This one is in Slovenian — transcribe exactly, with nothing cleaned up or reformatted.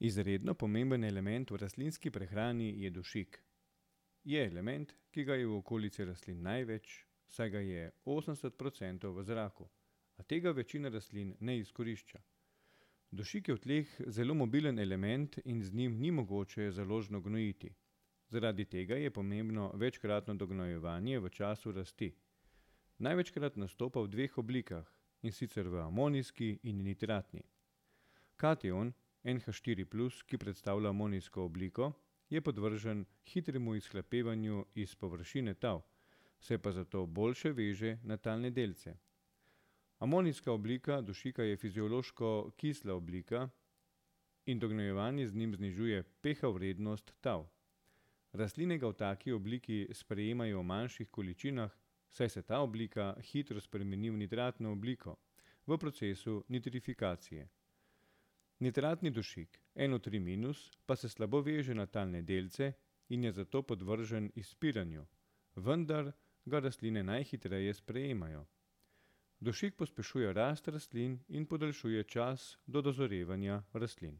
Izredno pomemben element v rastlinski prehrani je dušik. Je element, ki ga je v okolici rastlin največ, saj ga je osemdeset procentov v zraku, a tega večina rastlin ne izkorišča. Dušik je v tleh zelo mobilen element in z njim ni mogoče založno gnojiti. Zaradi tega je pomembno večkratno dognojevanje v času rasti. Največkrat nastopa v dveh oblikah, in sicer v amonijski in nitratni. Kation en ha štiri plus, ki predstavlja amonijsko obliko, je podvržen hitremu izhlapevanju iz površine tal, se pa zato boljše veže na talne delce. Amonijska oblika dušika je fiziološko kisla oblika in dognojevanje z njim znižuje pH vrednost tal. Rastline ga v taki obliki sprejemajo v manjših količinah, saj se ta oblika hitro spremeni v nitratno obliko v procesu nitrifikacije. Nitratni dušik en o tri minus pa se slabo veže na talne delce in je zato podvržen izpiranju, vendar ga rastline najhitreje sprejemajo. Dušik pospešuje rast rastlin in podaljšuje čas do dozorevanja rastlin.